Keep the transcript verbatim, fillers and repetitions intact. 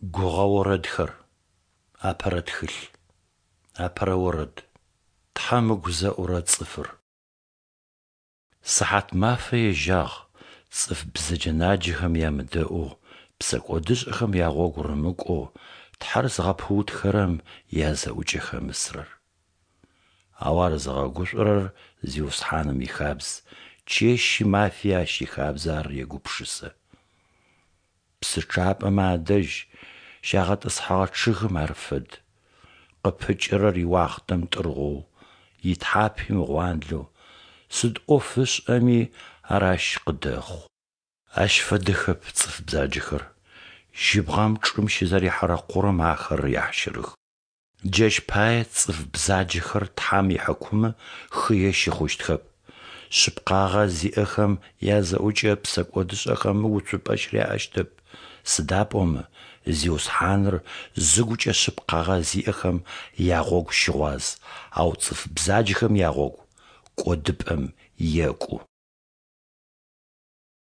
Гугъэ орэдхэр. Апэрэ тхылъ. Апэрэ орэд. Тхьэм ыгу зэӏурэ цӏыфыр. Сыхьат мафэ ежьагъ цӏыф бзэджэ-наджэхэм ямыдэӏоу, псэкӏодышӏэхэм ягъогу рымыкӏоу, Тхьэр зыгъэпыутхэрэм язэӏукӏэ хэмысрэр. Ау ар зыгъэгушӏорэр Зиусхьаным ихабз, чэщи мафи Ащ ихабзэ ар егупшысэ. Псы чъапӏэмэ адэжь щагъэтӏысхьэгъэ чъыгым ар фэд. Къыпыкӏэрэр иуахътэм тӏыргъоу, итхьапи мыгъуанлэу, сыд ӏоф ышӏэми, ар ащ къыдэхъу. Ащ фэдэхэп цӏыф бзаджэхэр, жьыбгъэм чӏым щызэрихьэрэ къурэм ахэр яхьщырых. Джащ пае цӏыф бзаджэхэр Тхьэм ихьыкумы хые щыхъущтхэп. Шъыпкъагъэ зиӏэхэм язэӏукӏэ псэкӏодышӏэхэм уцупӏэ щыряӏэщтэп, сыда пӏомэ Зиусхьаныр зыгукӏэ шъыпкъагъэ зиӏэхэм ягъогу щыгъуаз, ау цӏыф бзаджэхэм ягъогу кӏодыпӏэм екӏу.